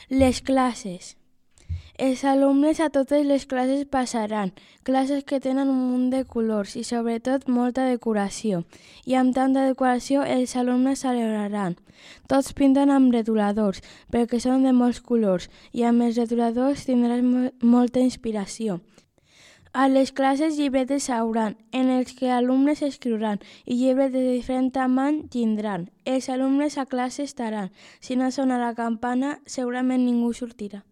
Les classes. Els alumnes a totes les classes passaran, classes que tenen un munt de colors i sobretot molta decoració. I amb tanta decoració els alumnes celebraran. Tots pinten amb retoladors perquè són de molts colors i amb els retoladors tindràs molta inspiració. A les classes llibretes hauran, en els que alumnes escriuran i llibres de diferent tamany tindran. Els alumnes a classe estaran. Si no sona la campana, segurament ningú sortirà.